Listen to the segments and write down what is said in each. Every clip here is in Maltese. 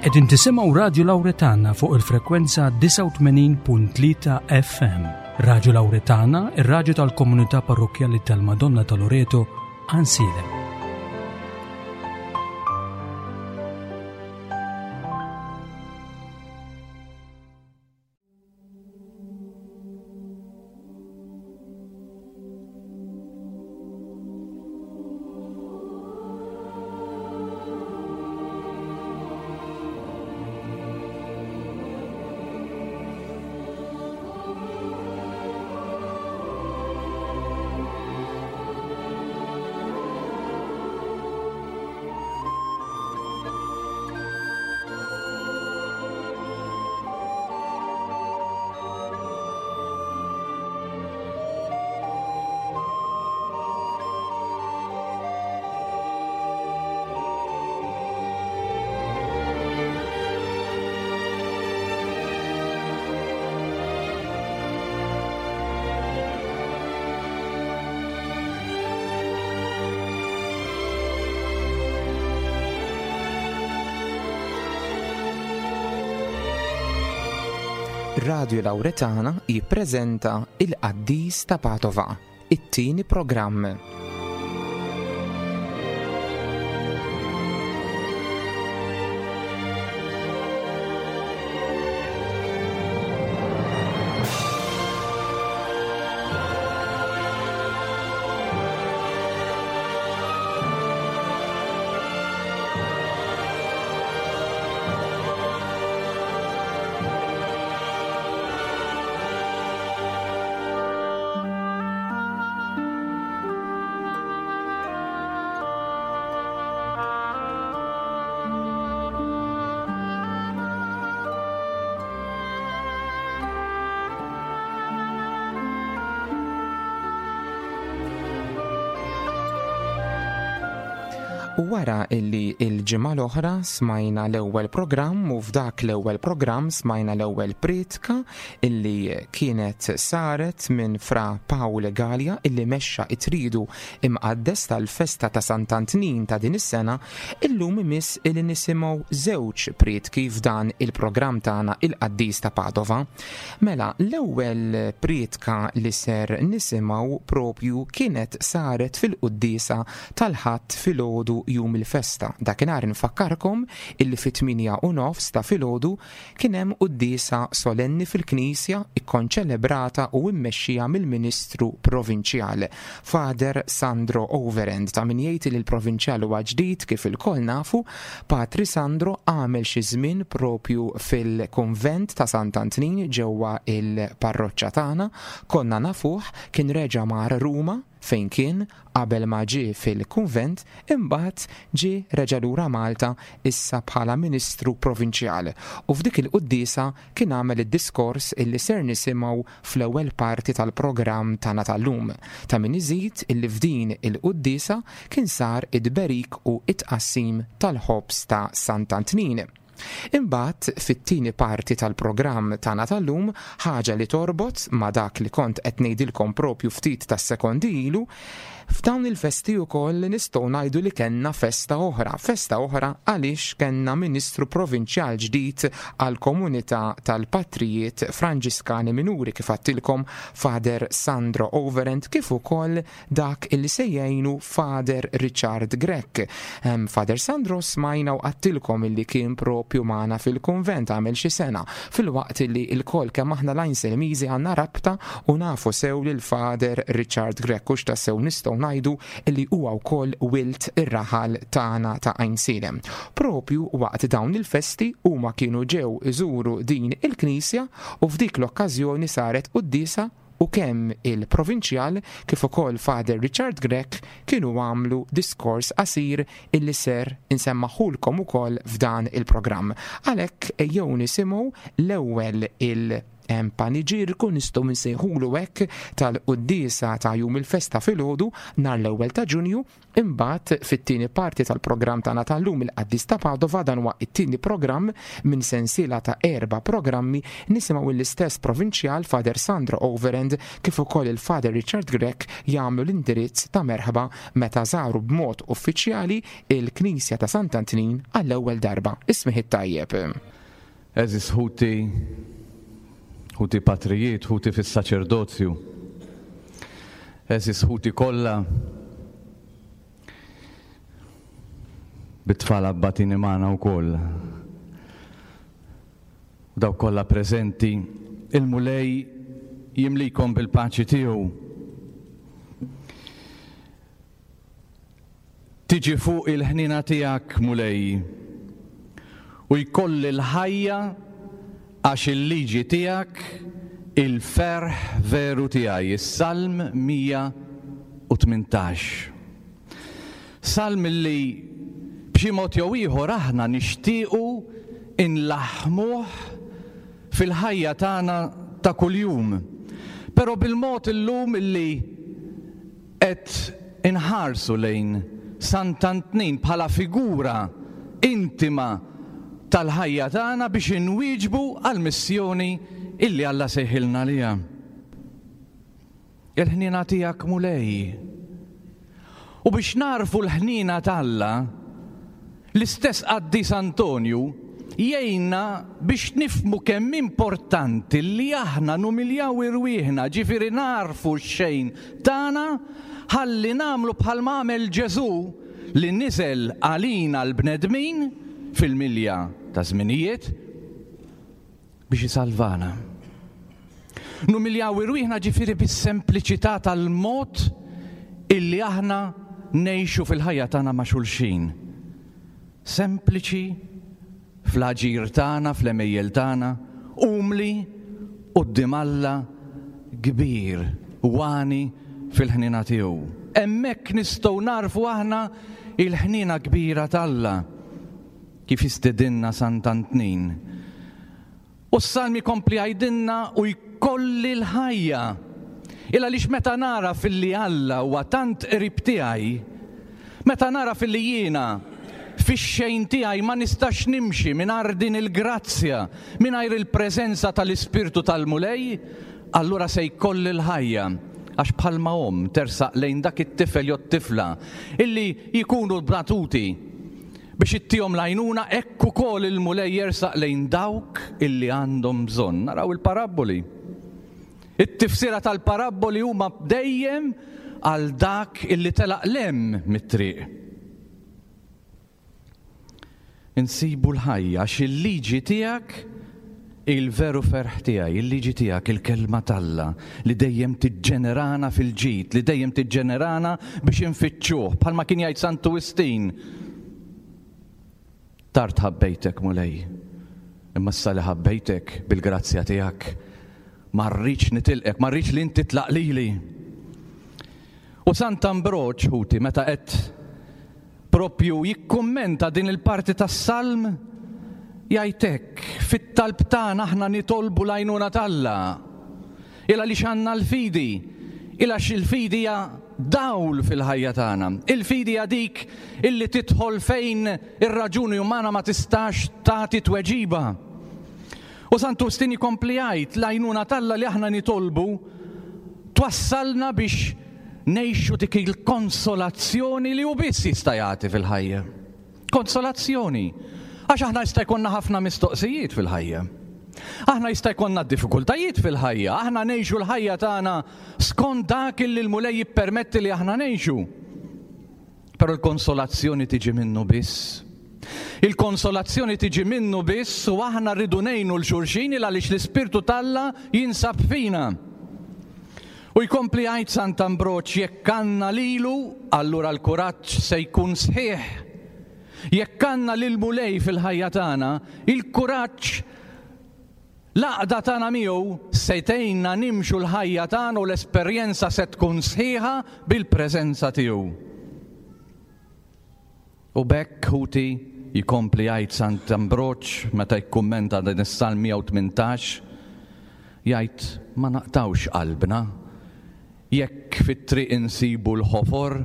Qegħdin tisimgħu Radju Lawretana fuq il-frekwenza 89.3 FM. Radju Lawretana, ir-radju tal-komunità parrokkjali tal-Madonna ta' Loreto, Għansielem. Radio Lauretana jippreżenta Il-Qaddis ta' Padova, it-tieni programm. U wara illi il-ġimgħa l-oħra smajna l-ewwel programm u f'dak l-ewwel programm smajna l-ewwel prietka illi kienet saret minn Fra Pawl Galea illi mexxa it-tridu imqaddes tal-festa ta' Sant'Antnin ta' din is-sena, illum imiss illi nisimgħu żewġ prietki f'dan il-programm tagħna il-Qaddis ta' Padova. Mela, l-ewwel prietka li ser nisimgħu propju kienet saret fil-quddiesa tal-Ħadd filgħodu jum il-festa. Dakinhar infakkarkom illi fit-tmienja u nofs ta' filgħodu kien hemm quddiesa solenni fil-knisja ikkonċelebrata u immexxija mill-Ministru Provinċjal, Father Sandro Overend. Ta' min jgħid li l-Provinċjal huwa ġdid kif ilkoll nafu, Patri Sandro għamel xi żmien propju fil-kunvent ta' Sant'Antnin ġewwa il-parroċċa tagħna, konna nafuh, kien reġa' mar Ruma fejn kien qabel ma ġie fil-kunvent imbagħad ġie reġa' lura Malta issa bħala Ministru Provinċjal u f'dik il-quddiesa kien għamel id-diskors illi ser nisimgħu fl-ewwel parti tal-programm tagħna tal-lum. Ta' min iżid illi f'din il-quddiesa kien sar it-tberik u t-tqassim tal-ħobż ta' Sant'Antnin. Imbagħad fit-tieni parti tal-programm tagħna tal-lum, ħaġa li torbot ma' dak li kont qed ngħidilkom propju ftit tas-sekondi ilu, f'dawn il-festi wkoll nistgħu ngħidu li kellna festa oħra, festa oħra għaliex kellna Ministru Provinċjal ġdid għall-komunità tal-Patrijiet Franġiskani Minuri kif għadtilkom Father Sandro Overend kif ukoll dak illi se jgħinu Father Richard Grech. Father Sandro smajna u għadtilkom illi kien propju magħna fil-kunvent għamel xi sena, filwaqt illi lkoll kemm aħna l-Għajnselmiżi għandna rabta u nafu sew lil Father Richard Grech hux tassew nistgħu ngħidu illi huwa wkoll wild ir-raħal tagħna ta' Għajnsielem. Propju waqt dawn il-festi huma kienu ġew iżuru din il-knisja u f'dik l-okkażjoni saret quddiesa u kemm il-Provinċjal kif ukoll Father Richard Grech kienu għamlu diskors qasir illi ser insemmagħhulkom ukoll f'dan il-programm. Għalhekk ejjew nisimgħu l-ewwel il. paniġierku nistgħu nsejħulu hekk tal-quddiesa ta' jum il-festa filgħodu nhar l-ewwel ta' Ġunju. Imbagħad fit-tieni parti tal-programm tagħna tal-lum il-Qaddis ta' Padova, dan huwa t-tieni programm minn sensiela ta' erba' programmi, nisimgħu l-istess provinċjal Father Sandro Overend kif ukoll il-Father Richard Grech jagħmlu l-indirizz ta' merħba meta żaru b'mod uffiċjali il-Knisja ta' Sant'Antnin għall-ewwel darba. Is-smigħ it-tajjeb. Għeżież ħuti, ħuti patrijiet, ħuti fis-saċerdozju, għeżież ħuti kollha, bit-tfal abbatini magħna wkoll. Dawk kollha preżenti, il-Mulej jimlikom bil-paċi tiegħu. Tiġi fuqi l-ħniena tiegħek, Mulej, u jkolli l-ħajja għax il-liġi tiegħek il-ferħ veru tiegħi, is-Salm 118. Salm li b'xi mod jew ieħor aħna nixtiequ inlaħħmuh fil-ħajja tagħna ta' kuljum. Però bil-mod illum illi Qed inħarsu lejn Sant'Antnin bħala figura intima tal-ħajja tagħna biex inwieġbu għall-missjoni illi Alla sejħilna għaliha. Il-ħniena tiegħek Mulej. U biex nagħrfu l-ħniena t'Alla, L-istess qaddis Antonju jgħinna biex nifhmu kemm importanti li aħna numiljaw irwieħna, ġifieri nagħrfu x-xejn tagħna ħalli nagħmlu bħalma għamel Ġesù li niżel għalina l-bnedmin fil-milja taż-żminijiet biex isalvana. Numiljaw irwieħna ġifieri bis-sempliċità tal-mod illi aħna ngħixu fil-ħajja tagħna ma' xulxin. Sempliċi fl-aġir tagħna, fl-għemejjel tagħna, umli quddiem Alla kbir u għani fil-ħniena tiegħu. Hemmhekk nistgħu nagħrfu aħna il-ħniena kbira t'Alla kif jistedinna Sant'Antnin. U s-Salm ikompli jgħidilna u jkolli l-ħajja. Il għaliex meta nagħraf illi Alla huwa tant qrib tiegħi, meta nagħraf illi jiena fix-xejn tiegħi ma nistax nimxi mingħajr din il-grazzja, mingħajr il-preżenza tal-Ispirtu tal-Mulej, allura se jkolli l-ħajja. Għax bħalma omm tersaq lejn dak it-tifel jew t-tifla illi jkunu batuti, Biex ittihom l-għajnuna, hekk ukoll il-Mulej jersaq lejn dawk illi għandhom bżonn. Naraw il-parabboli. It-tifsira tal-parabboli huma dejjem għal dak illi telaq 'l hemm mit-triq. Insibu l-ħajja għax il-liġi tiegħek Il-veru ferħ tiegħi, il-liġi tiegħek, il-Kelma t'Alla, li dejjem tiġġenerana fil-ġid, li dejjem tiġġenerana biex infittxuh, bħalma kien jgħid Santu Wistin. Tard ħabbejtek, Mulej, imma issa li ħabbejtek bil-grazzja tiegħek, ma rridx nitilqek, ma rridx li inti tlaq lili. U Sant'Ambroġ, ħuti, meta qed Proprju jikkummenta din il-parti tas-Salm, jgħid hekk, Fit-talb tagħna aħna nitolbu l-għajnuna t'Alla. Il għaliex għandna l-fidi? Il għax il-fidi hija dawl fil-ħajja tagħna. Il-fidi hija dik illi tidħol fejn ir-raġuni umana ma tistax tagħti tweġiba. U Santu Wistin jkompli jgħid, l-għajnuna t'Alla li aħna nitolbu twassalna biex ngħixu dik il-konsolazzjoni li hu biss jista' jagħti fil-ħajja. Konsolazzjoni. Għax aħna jista' jkollna ħafna mistoqsijiet fil-ħajja. Aħna jista' jkollna diffikultajiet fil-ħajja, aħna ngħixu l-ħajja tagħna skont dak li l-Mulej jippermetti li aħna ngħixu. Però l-konsolazzjoni tiġi minnu biss. Il-konsolazzjoni tiġi minnu biss u aħna rridu ngħinu 'l xulxin il għaliex l-Ispirtu t'Alla jinsab fina. U jkompli jgħid Sant'Ambroġ jekk għandna lilu, allura l-kuraġġ se jkun sħiħ. Jekk għandna lill-Mulej fil-ħajja tagħna, il-kuraġġ L-għaqda tagħna miegħu se tgħinna nimxu l-ħajja tagħna u l-esperjenza se tkun sħiħa bil-preżenza tiegħu. U b'hekk, ħuti, jkompli jgħid Sant Ambroġ meta jikkummenta din is-Salm 118, Jgħid ma naqtgħux qalbna jekk fit-triq insibu l-ħofor,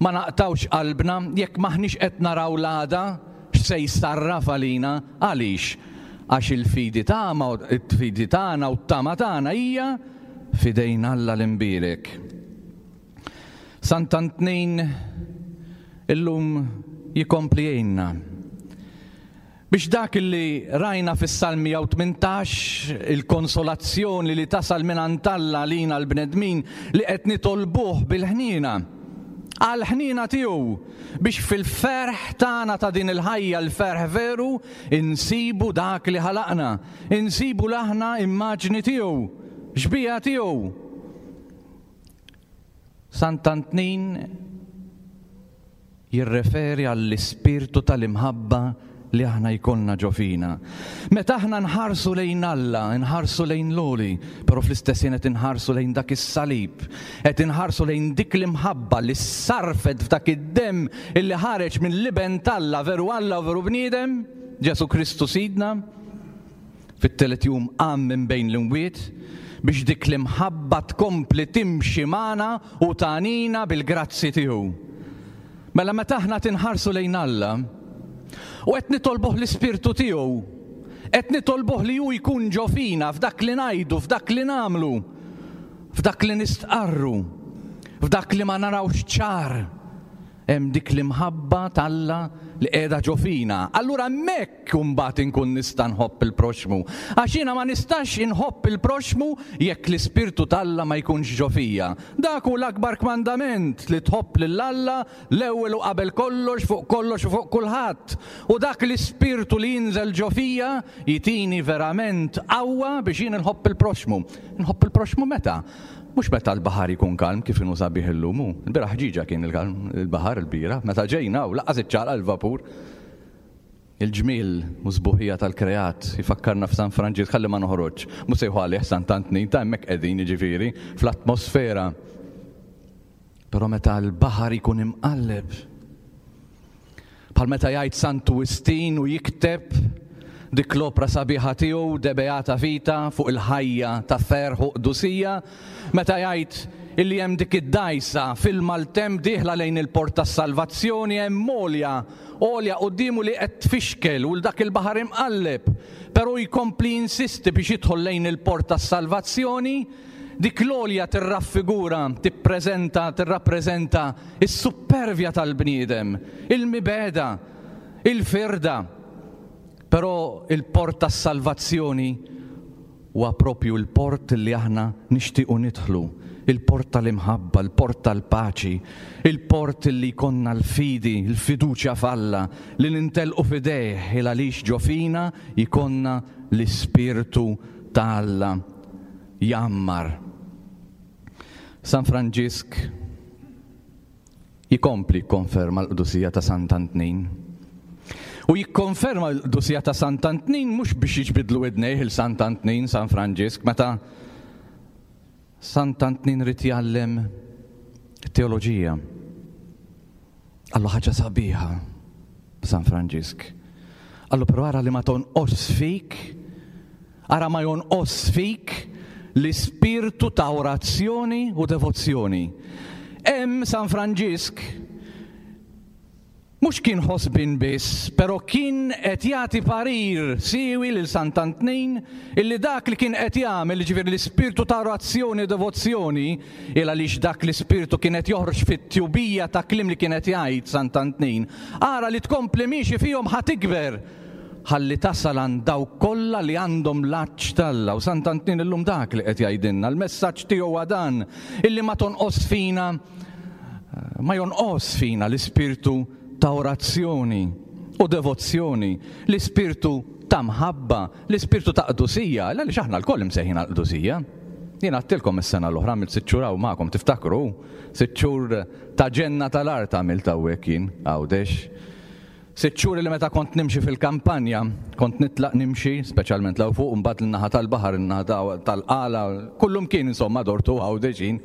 ma naqtgħux qalbna jekk m'aħniex qed naraw l-għada x'se jsarraf għalina. Għaliex? Għax il-fidi il-fidi tagħna u t-tama tagħna hija f'idejn Alla l-Imbierek. Sant'Antnin illum jikompli jgħinna biex dak li rajna fis-Salm 118, il-konsolazzjoni li tasal mingħand Alla għalina l-bnedmin li qed nitolbuh bil-ħniena, għall-ħniena tiegħu, biex fil-ferħ tagħna ta' din il-ħajja, l-ferħ veru, insibu dak li ħalaqna, insibu l-aħna immaġni tiegħu, xbieha tiegħu. Sant'Antnin jirreferi għall-ispirtu tal-imħabba li aħna jkollna ġo fina. Meta aħna nħarsu lejn Alla, nħarsu lejn l-għoli, però fl-istess ħin qed inħarsu lejn dak is-salib, qed inħarsu lejn dik l-imħabba li ssarrfet f'dak id-demm illi ħareġ mill-Iben t'Alla, veru Alla u veru bniedem, Ġesù Kristu Sidna. Fit-tielet jum qam minn bejn l-imwiet biex dik l-imħabba tkompli timxi magħna u tagħnina bil-grazzi tiegħu. Mela meta aħna tinħarsu lejn Alla u qed nitolbuh l-Ispirtu tiegħu, qed nitolbuh li hu jkun ġo fina f'dak li ngħidu, f'dak li nagħmlu, f'dak li nistqarru, f'dak li ma narawx ċar, hemm dik l-imħabba t'Alla li qiegħda ġo fina. Allura hemmhekk imbagħad inkun nista' nħobb il-proxxmu. Għax jiena ma nistax inħobb il-proxxmu jekk l-Ispirtu t'Alla ma jkunx ġo fija. Dak hu l-akbar kmandament, li tħobb lil Alla l-ewwel u qabel kollox, fuq kollox u fuq kulħadd. U dak l-Ispirtu li jinżel ġo fija jtini verament qawwa biex jien inħobb il-proxxmu. Inħobb il-proxxmu meta? Mhux meta l-baħar jkun kalm kif inhu sabiħ illum hu. Il-bieraħ ħġieġa kien il-kalm il-baħar il-bieraħ meta ġejna hawn lanqas iċċaqlaq il-vapur. Il-ġmiel u s-sbuħija tal-kreat jfakkarna f'San Franġisk ħalli ma noħroġx. Mhux se jieħu għalih Sant'Antnin ta' hemmhekk qegħdin jiġifieri fl-atmosfera. Però meta l-baħar jkun imqalleb, bħal meta jgħid Santu Wistin u jikteb dik l-opra sabiħa tiegħu De Beata Vita fuq il-ħajja ta' ferħ u qdusija, meta jgħid illi hemm dik id-dgħajsa fil-maltemp dieħla lejn il-port tas-salvazzjoni hemm għolja, għolja quddiemu li qed tfixkel u dak il-baħar imqalleb, però jkompli jinsisti biex jidħol lejn il-port tas-salvazzjoni. Dik l-għolja tirraffigura, tippreżenta, tirrappreżenta s-suppervja tal-bniedem, il-mibegħda, il-firda. Però il-port tas-salvazzjoni huwa propju l-port li aħna nixtiequ nidħlu, il-port tal-imħabba, il-port tal-paċi, il-port li jkollna l-fidi, il-fiduċja f'Alla, li nintelqu f'idejh il għaliex ġo fina jkollna l-Ispirtu ta' Alla. jgħammar. San Franġisk jkompli jikkonferma l-qdusija ta' Sant'Antnin. U jikkonferma l-qdusija ta' Sant'Antnin mhux biex jiġbidlu idnejh il Sant'Antnin, San Franġisk, meta Sant'Antnin rid jgħallem teoloġija. Qallu ħaġa sabiħa San Franġisk. Qallu però ara li ma tonqos fik, ara ma jonqos fik l-ispirtu ta' orazzjoni u devozzjoni. Hemm San Franġisk mhux kien ħosbien biss, però kien qed jagħti parir siewi lil Sant'Antnin illi dak li kien qed jagħmel, jiġifieri l-ispirtu ta' orazzjoni u devozzjoni, Il għaliex dak l-ispirtu kien qed joħroġ fit-tjubija ta' kliem li kien qed jgħid Sant'Antnin. Ara li tkompli miexi fihom ħa tikber ħalli tasal għand dawk kollha li għandhom l-għatx t'Alla. U Sant'Antnin illum dak li qed jgħidilna, l-messaġġ tiegħu huwa dan, illi ma tonqos fina, ma jonqos fina l-ispirtu ta' orazzjoni u devozzjoni, l-ispirtu ta' mħabba, l-ispirtu ta' qdusija, għaliex aħna lkoll imsejħin għall-qdusija. Jien għadtilkom is-sena l-oħra għamilt sitt xhur hawn magħkom, tiftakru? Sitt xhur ta' ġenna tal-art għamilt hawnhekk jien, Għawdex. Sitt xhur li meta kont nimxi fil-kampanja, kont nitlaq nimxi, speċjalment 'l fuq, mbagħad l-naħa tal-baħar, in-naħa tal-qala, kullumkien insomma dortu Għawdex jien.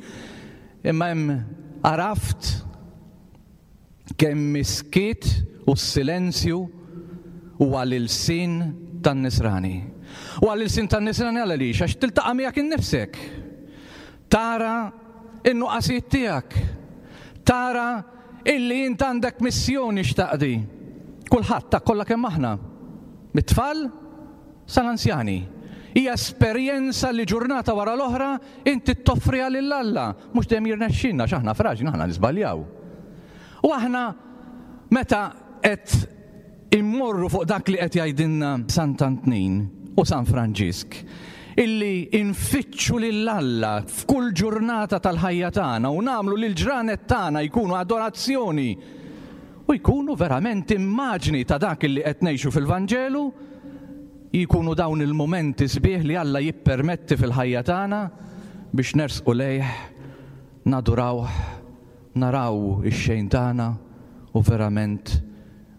Imma hemm għaraft Kemm is-skiet u s-silenzju huwa l-ilsien tan-Nisrani. U għall-ilsien tan-Nisrani għaliex? Għax tiltaqa' miegħek innifsek. Tara in-nuqqasijiet tiegħek. Tara illi int għandek missjoni x'taqdi. Kulħadd ta' kollha kemm aħna. Mit-tfal sal-anzjani. Hija esperjenza li ġurnata wara l-oħra inti toffriha lil Alla. Mhux dejjem jirnexxilna għax aħna fraġli, aħna niżbaljaw. U aħna meta qed immorru fuq dak li qed jgħidilna Sant'Antnin u San Franġisk, illi nfittxu lil Alla f'kull ġurnata tal-ħajja tagħna u nagħmlu li l-ġranet tagħna jkunu adorazzjoni u jkunu verament immaġni ta' dak illi qed ngħixu fil-Vanġelu, jkunu dawn il-mumenti sbieħ li Alla jippermetti fil-ħajja tagħna biex nersqu lejh, nadurawh, naraw ix-xejn tagħna u verament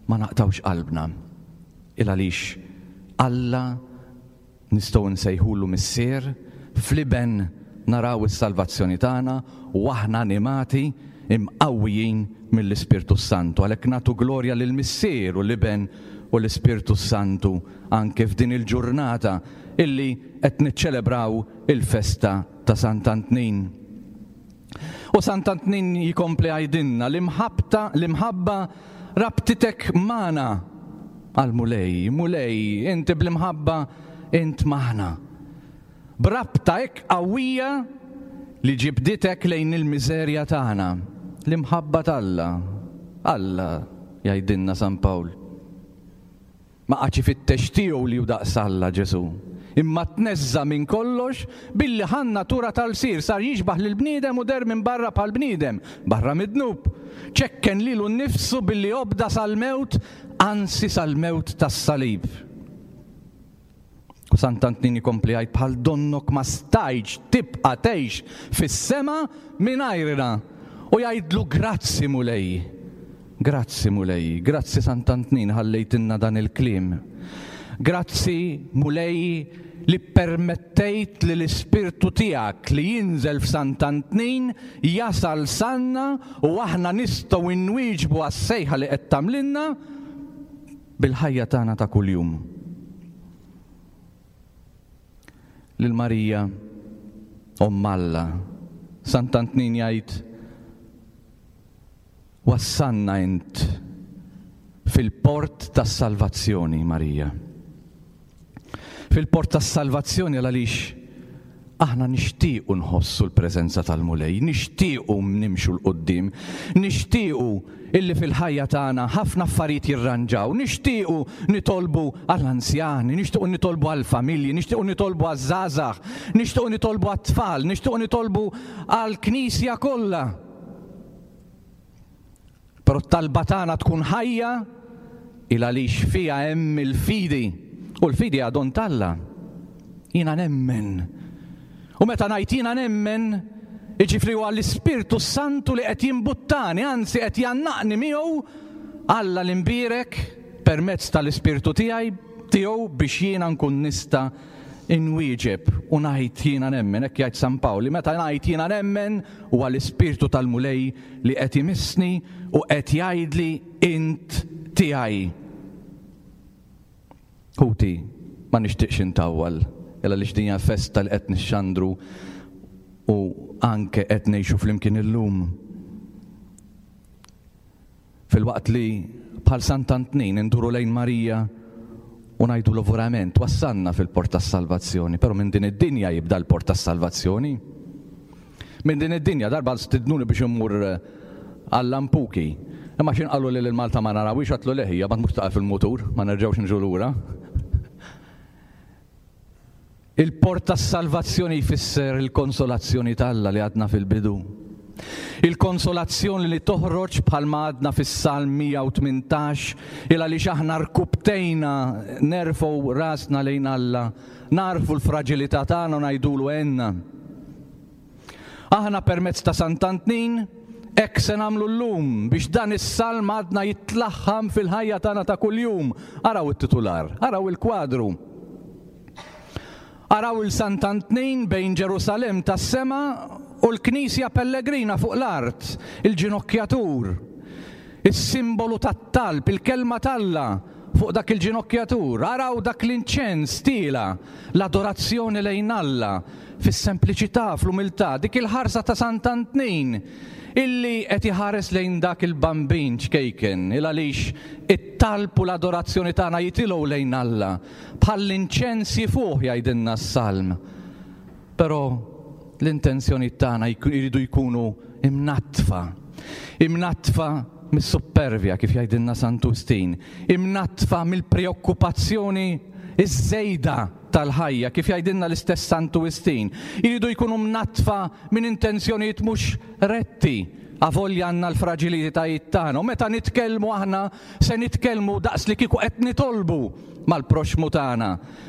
ma naqtgħux qalbna. Il għaliex Alla nistgħu nsejħulu Missier, fl-Iben naraw is-salvazzjoni tagħna u aħna animati, imqawwijin mill-Ispirtu s-Santu. Għalhekk nagħtu glorja lill-Missier u l-Iben u l-Ispirtu s-Santu anke f'din il-ġurnata illi qed niċċelebraw il-festa ta' Sant'Antnin. U Sant'Antnin jkompli jgħidilna l-imħabbta, l-imħabba rabtitek magħna għall-Mulej. Mulej, inti bl-imħabba int magħna. B'rabta hekk qawwija li ġibditek lejn il-miżerja tagħna. L-imħabba t'Alla. Alla, jgħidilna San Pawl. Ma qagħadx ifittex tiegħu li hu daqs Alla, Ġesù, imma tneżża' minn kollox billi ħa n-natura ta' lsir, sar jixbah lill-bniedem u deher minn barra bħal bniedem, barra mid-dnub. Ċekken lilu nnifsu billi obda sal-mewt, anzi sal-mewt tas-salib. U Sant'Antnin ikompli jgħid bħal donnok ma stajtx tibqa' tgħix fis-sema mingħajrna. U jgħidlu grazzi Mulej. Grazzi Mulej, grazzi Sant'Antnin ħallejtilna dan il-kliem. Grazzi Mulej li ppermettejt li l-Ispirtu tiegħek li jinżel f'Sant'Antnin jasal s'għandna u aħna nistgħu nwieġbu għas-sejħa li qed tagħmlilna bil-ħajja tagħna ta' kuljum. Lil Marija, Omm Alla, Sant'Antnin jgħid, Wassalna int fil-port tas-salvazzjoni, Marija. Fil-port tas-salvazzjoni għaliex aħna nixtiequ nħossu l-preżenza tal-Mulej, nixtiequ nimxu 'l quddiem, nixtiequ illi fil-ħajja tagħna ħafna affarijiet jirranġaw, nixtiequ nitolbu għall-anzjani, nixtiequ nitolbu għall-familji, nixtiequ nitolbu għaż-żgħażagħ, nixtiequ nitolbu għat-tfal, nixtiequ nitolbu għall-Knisja kollha. Però t-talba tagħna tkun ħajja il għaliex fiha hemm il-fidi. U l-fidi hija don t'Alla. Jiena nemmen. U meta ngħid jiena nemmen, jiġifieri huwa l-Ispirtu s-Santu li qed jimbuttani, anzi qed jgħannaqni miegħu Alla l-imbierek permezz tal-Ispirtu tiegħi tiegħu biex jiena nkun nista' inwieġeb u ngħid jiena nemmen, hekk jgħid San Pawl, li meta ngħid jiena nemmen huwa l-Ispirtu tal-Mulej li qed imissni u qed jgħidli int tiegħi. Ħuti, ma nixtieqx intawwal, il għaliex din hija festa li qed nixxandru u anke qed ngħixu flimkien illum. Filwaqt li bħal Sant'Antnin induru lejn Marija u ngħidulu verament wassalna fil-port tas-salvazzjoni, però minn din id-dinja jibda l-port tas-salvazzjoni. Minn din id-dinja darba stidnuni biex immur eh, għall-Lampuki. Imma x'in qalu li l-Malta ma narawix għatlu leħija, ma tmux taqa' fil-mutur, ma nerġgħux niġu lura. Il-port tas-salvazzjoni jfisser il-konsolazzjoni t'Alla li għadna fil-bidu. Il-konsolazzjoni li toħroġ bħalma għadna fis-Salm 118, il għaliex aħna rkubtejna nerfgħu rasna lejn Alla, nagħrfu l-fraġilità tagħna u ngħidulu għenna. Aħna permezz ta' Sant'Antnin hekk se nagħmlu llum biex dan is-salm għadna jitlaħħam fil-ħajja tagħna ta' kuljum. Araw it-titular, araw il-kwadru. Araw il Sant'Antnin bejn Ġerusalemm tas-sema u l-Knisja Pellegrina fuq l-art, il-ġinokkjatur, is-simbolu tat-talb, il-kelma t'Alla. fuq dak il-ġinokkjatur, araw dak l-inċens tiela', l-adorazzjoni lejn Alla, fis-sempliċità, fl-umiltà, dik il-ħarsa ta' Sant'Antnin illi qed iħares lejn dak il-bambin ċkejken, il għaliex it-talb u l-adorazzjoni tagħna jitilgħu lejn Alla, bħall-inċens jifuħ jgħidilna s-Salm. Però l-intenzjonijiet tagħna jridu jkunu imnaddfa. Imnaddfa mis-suppervja, kif jgħidilna Santu Wistin, imnaddfa mill-preokkupazzjoni ż-żejda tal-ħajja, kif jgħidilna l-istess Santu Wistin. Jridu jkunu mnaddfa minn intenzjonijiet mhux retti, avolja għandna l-fraġilitajiet tagħna. U meta nitkellmu aħna se nitkellmu daqs li kieku qed nitolbu mal-proxxmu tagħna.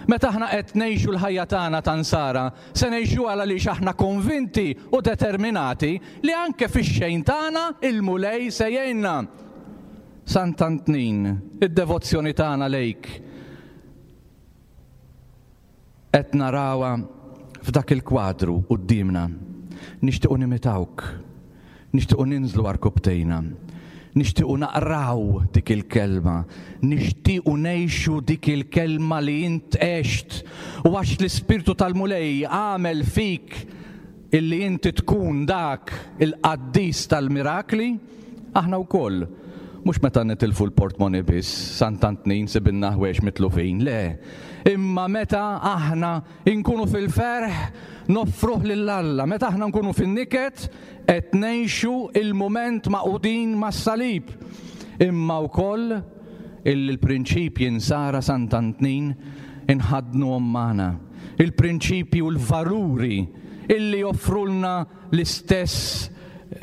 Meta aħna qed ngħixu l-ħajja tagħna ta' Nsara, se ngħixuha għaliex aħna konvinti u determinati li anke fix-xejn tagħna il-Mulej se jgħinna. Sant'Antnin, id-devozzjoni tagħna lejk qed narawha f'dak il-kwadru quddiemna. Nixtiequ nimitawk. Nixtiequ ninżlu għarkupptejna. Nixtiequ naqraw dik il-kelma. Nixtiequ ngħixu dik il-kelma li int għext. U għax l-Ispirtu tal-Mulej għamel fik illi inti tkun dak il-qaddis tal-mirakli, aħna wkoll, mhux meta nitilfu l-portmoni biss, Sant'Antnin sibilna ħwejjeġ mitlufin, le, imma meta aħna Inkunu fil-ferħ, noffruh lil Alla. Meta aħna nkunu fin-niket, qed ngħixu il-mument magħqudin mas-salib. Imma wkoll illi l-prinċipji nsara Sant'Antnin inħaddnuhom magħna. Il-prinċipji u l-valuri illi joffrulna l-istess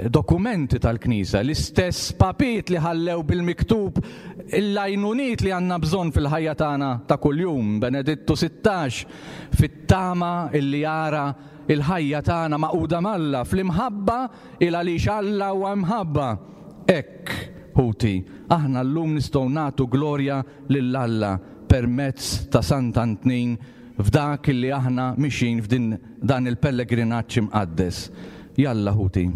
dokumenti tal-Knisja, l-istess papiet li ħallew bil-miktub l-għajnuniet li għandna bżonn fil-ħajja tagħna ta' kuljum, Benedittu 16, fit-tama illi jara il-ħajja tagħna magħquda m'Alla, fl-imħabba il għaliex Alla huwa imħabba. Hekk, ħuti, aħna llum nistgħu nagħtu glorja lil Alla permezz ta' Sant'Antnin f'dak li aħna mixjin f'din dan il-pellegrinaġġ imqaddes. Jalla ħuti.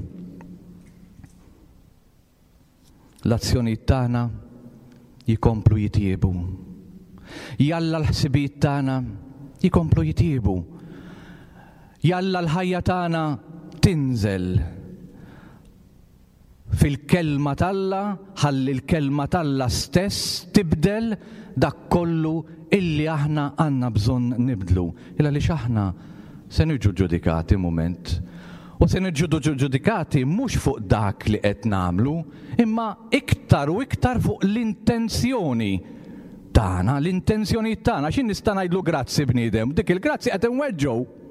L-azzjonijiet tagħna jikomplu jitjiebu. Jalla l-ħsibijiet tagħna jikomplu jitjiebu. Jalla l-ħajja tagħna tinżel fil-Kelma t'Alla ħalli l-Kelma t'Alla stess tibdel dak kollu illi aħna għandna bżonn nibdlu. Il għaliex aħna se niġu ġudikati mument. U se niġu ġudikati mhux fuq dak li qed nagħmlu, imma iktar u iktar fuq l-intenzjoni tagħna, l-intenzjonijiet tagħna. X'in nista' ngħidlu grazzi bniedem, dik il-grazzi qed inweġġgħu.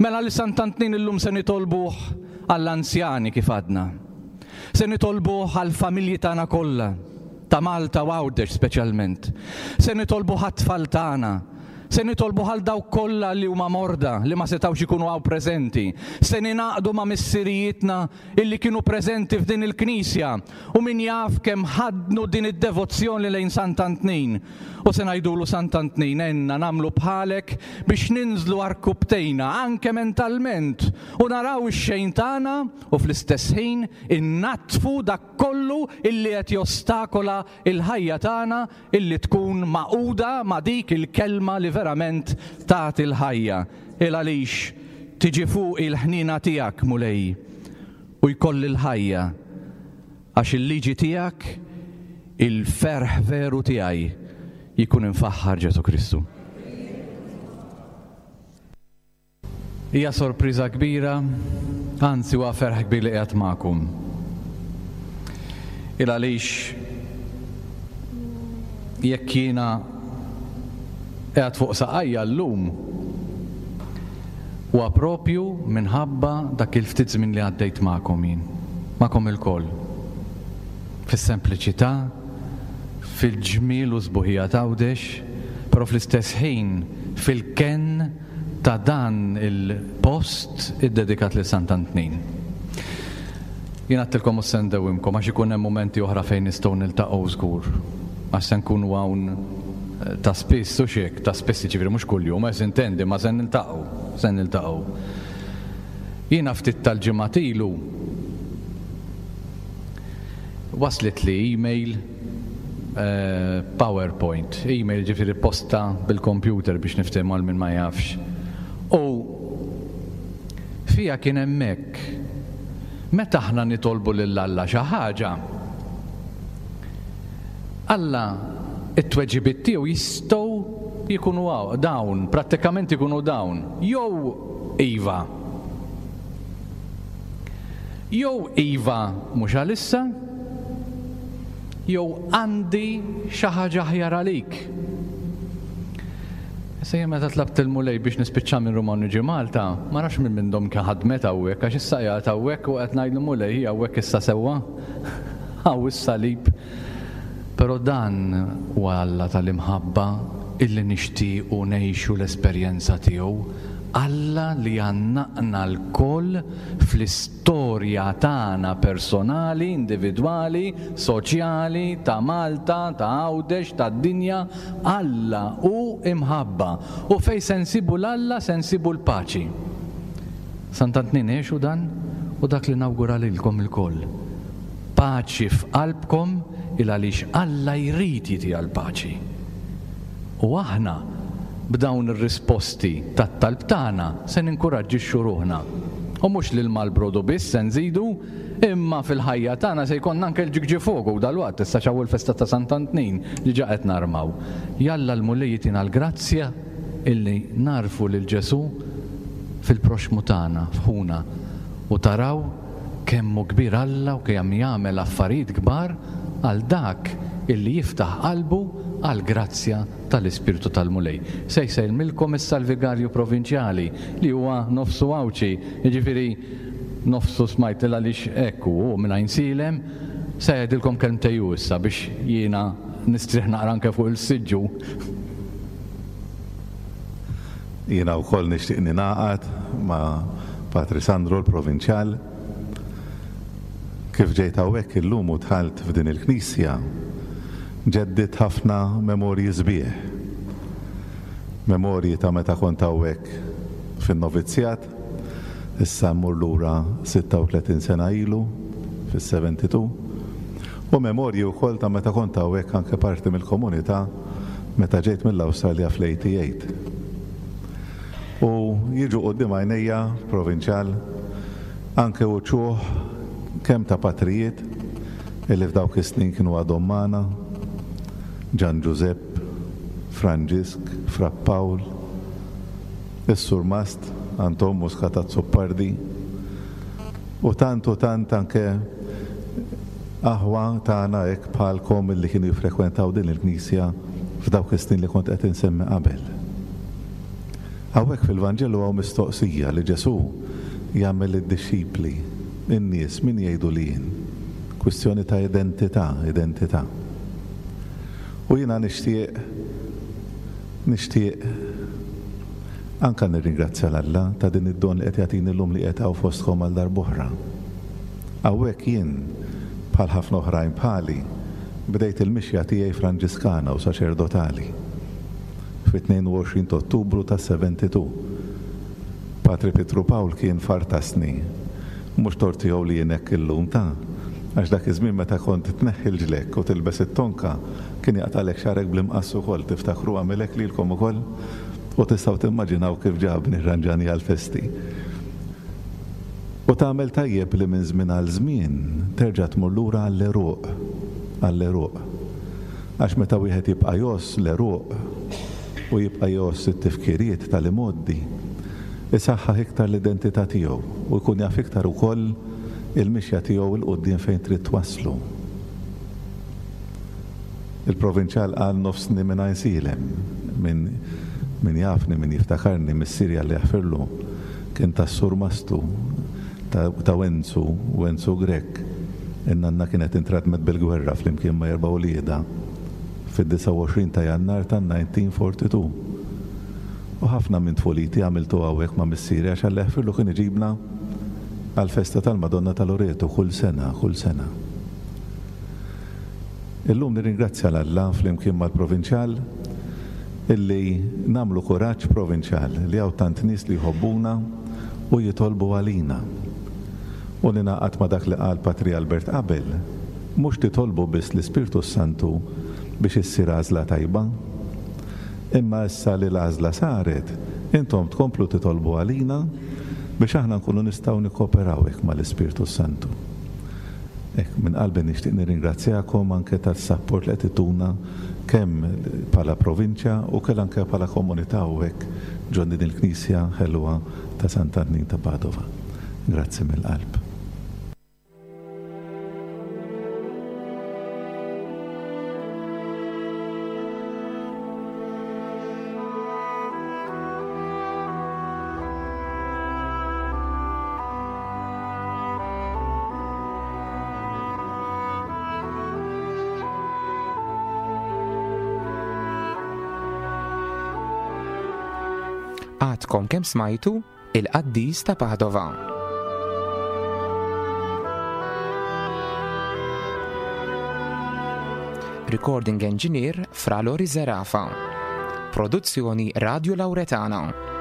Mela li Sant'Antnin illum se nitolbuh għall-anzjani kif għadna. Se nitolbuh għall-familji tagħna kollha, ta' Malta u Għawdex speċjalment. Se nitolbuh għat-tfal tagħna. Se nitolbuh għal dawk kollha li huma morda li ma setgħux ikunu hawn preżenti. Se ningħaqdu ma' missirijietna illi kienu preżenti f'din il-knisja u min jaf kemm ħaddnu din id-devozzjoni lejn Sant'Antnin. U se ngħidulu Sant'Antnin għenna nagħmlu bħalek biex ninżlu għarkupptejna anke mentalment u naraw ix-xejn tagħna u fl-istess ħin innaddfu dak kollu illi qed jostakola l-ħajja tagħna illi tkun magħquda ma' dik il-kelma li verament tagħti l-ħajja. Il għalix tiġi fuqi l-ħniena tiegħek, Mulej, u jkolli l-ħajja. Għax il-liġi tiegħek il-ferħ veru tiegħi jkun imfaħħar Ġesù Kristu. Hija sorpriża kbira, anzi huwa ferħ kbir li qiegħed magħkom. Il għaliex jekk jiena qiegħed fuq saqajja llum Huwa proprju minħabba dak il-ftit żmien li għaddejt magħkom jien, magħkom ilkoll. Fis-sempliċità, fil-ġmiel u s-sbuħija t'Għawdex, però fl-istess ħin fil-kenn ta' dan il-post iddedikat lil Sant'Antnin. Jien għedtilkom mhux se ndewwimkom għax ikun hemm mumenti oħra fejn nistgħu niltaqgħu żgur. Għax se nkunu hawn ta' spiss, hux hekk? Ta' spiss jiġifieri mhux kuljum, eh sintendi, ma se niltaqgħu, se niltaqgħu. Jiena ftit tal-ġimgħat ilu waslitli email. PowerPoint, email ġifieri posta bil-computer biex niftehmu għal min ma jafx. U fiha kien hemm hekk. Meta aħna nitolbu lil Alla xi ħaġa, Alla it-tweġibiet tiegħu jistgħu jkunu dawn, prattikament ikunu dawn, jew iva. Jew iva mhux għalissa, jew għandi xi ħaġa aħjar għalik. Issa jien meta tlabt il-Mulej biex nispiċċa minn Ruma u niġi Malta, ma nafx min minnhom kien ħadmet hawnhekk għax issa qiegħed hawnhekk u qed ngħidlu Mulej hi hawnhekk issa sewwa. Hawn is-salib. Però dan huwa Alla tal-imħabba illi nixtiequ ngħixu l-esperjenza tiegħu. Alla li għannaqna lkoll fl-istorja tagħna personali, individwali, soċjali, ta' Malta, ta' Għawdex, tad-dinja. Alla hu imħabba u fejn se nsibu 'l Alla se nsibu l-paċi. Sant'Antnin għexu dan u dak li nawgura lilkom ilkoll. Paċi f'qalbkom il għaliex Alla jrid jitiha l-paċi. U aħna, b'dawn ir-risposti tat-talb tagħna, se ninkuraġġixxu ruħna. U mhux lil Malbrodu biss se nżidu, imma fil-ħajja tagħna se jkollna anke l-ġigġifogu dalwaqt, issa x'hawn il-festa ta' Sant'Antnin, diġà qed narmaw. Jalla l-Mulej jtina l-grazzja illi nagħrfu lil Ġesù fil-proxxmu tagħna, f'ħuna, u taraw Kemm hu kbir Alla u kemm jagħmel affarijiet kbar għal dak illi jiftaħ qalbu għall-grazzja tal-Ispirtu tal-Mulej. Se jsellmilkom issa l-Vigarju Provinċjali li huwa nofsu Għawdxi, jiġifieri nofsu smajt il għaliex hekk hu, hu minn Għajnsielem, se jgħidilkom kelmtej hu issa biex jiena nistrieħ naqra anke fuq il-siġġu. Jiena wkoll nixtieq ningħaqad ma' Patri Sandro l-Provinċjal. Kif ġejt hawnhekk illum u dħalt f'din il-knisja, ġeddidt ħafna memorji sbieħ. Memorji ta' meta kont hawnhekk fin-novizzjat, issa mmur lura 36 sena ilu, fis-72, u memorji wkoll ta' meta kont hawnhekk anke parti mill-komunità meta ġejt mill-Awstralja fl-88. U jiġu quddiem għajnejja, Provinċjal, anke uċuħ kemm ta' patrijiet illi f'dawk is-snin kienu għadhom magħna, Ġan Ġużepp, Franġisk, Fra Pawl, is-Surmast Anton Muscat Azzopardi, u tant u tant anke aħwa tagħna hekk bħalkom illi kienu jiffrekwentaw din il-knisja f'dawk is-snin li kont qed insemmi qabel. Hawnhekk fil-Vanġelu hawn mistoqsija li Ġesù jagħmel lid-dixxipli, In-nies min jgħidu li jien? Kwistjoni ta' identità, identità. U jiena nixtieq nixtieq anke nirringrazzja 'l Alla ta' din id-don li qed jagħtini llum li qiegħed hawn fostkom għal darb'oħra. Hawnhekk jien, bħal ħafna oħrajn bħali, bdejt il-mixja tiegħi Franġiskana u saċerdotali fit-22 t'Ottubru tas-72. Patri Pietru Pawl kien fartasni. Mhux tort tiegħu li jien hekk illum, ta', għax dak iż-żmien meta kont tneħħi l-ġlekk u tilbes it-tonka, kien jaqtagħlek xagħrek bl-imqass ukoll, tiftakru għamel hekk lilkom ukoll? U tistgħu timmaġinaw kif ġabni rranġani għall-festi. U tagħmel tajjeb li minn żmien għal żmien terġa' tmur lura għall-għeruq, għall-għeruq. Għax meta wieħed jibqa' jgħożż l-għeruq u jibqa' jgħożż it-tifkiriet tal-imgħoddi, isaħħaħ iktar l-identità tiegħu u jkun jaf iktar ukoll il-mixja tiegħu 'l quddiem fejn trid twasslu. Il-Provinċjal qal nofsni minn Għajnsielem. Min min jafni, min jiftakarni, missieri Alla jaħfirlu, kien tas-Sur Mastu, ta' ta' Wenzu, Wenzu Grech. In-nanna kienet intradmet bil-gwerra flimkien ma' erba' uliedha fid-29 ta' Jannar tan-1942. U ħafna minn tfuliti għamiltu hawnhekk ma' missieri għax Alla jaħfirlu kien iġibna għall-festa tal-Madonna ta' Loreto kull sena, kull sena. Illum nirringrazzja 'l Alla flimkien mal-Provinċjal illi nagħmlu kuraġġ Provinċjal li hawn tant nies li jħobbuna u jitolbu għalina. U ningħaqad ma' dak li qal Patri Albert qabel, mhux titolbu biss l-Ispirtu s-Santu. biex issir għażla tajba. Imma issa li l-għażla saret, intom tkomplu titolbu għalina biex aħna nkunu nistgħu nikkooperaw hekk mal-Ispirtu s-Santu. Hekk, minn qalbi nixtieq nirringrazzjakom anke tas-sapport li qed ituna kemm bħala provinċja u kell anke bħala komunità hawnhekk ġo din il-knisja ħelwa ta' Sant'Antnin ta' Padova. Grazzi mill-qalb. Għadkom kemm smajtu il-qaddis ta' Padova. Recording Engineer Fra Lori Zerafa. Produzzjoni Radio Lauretana.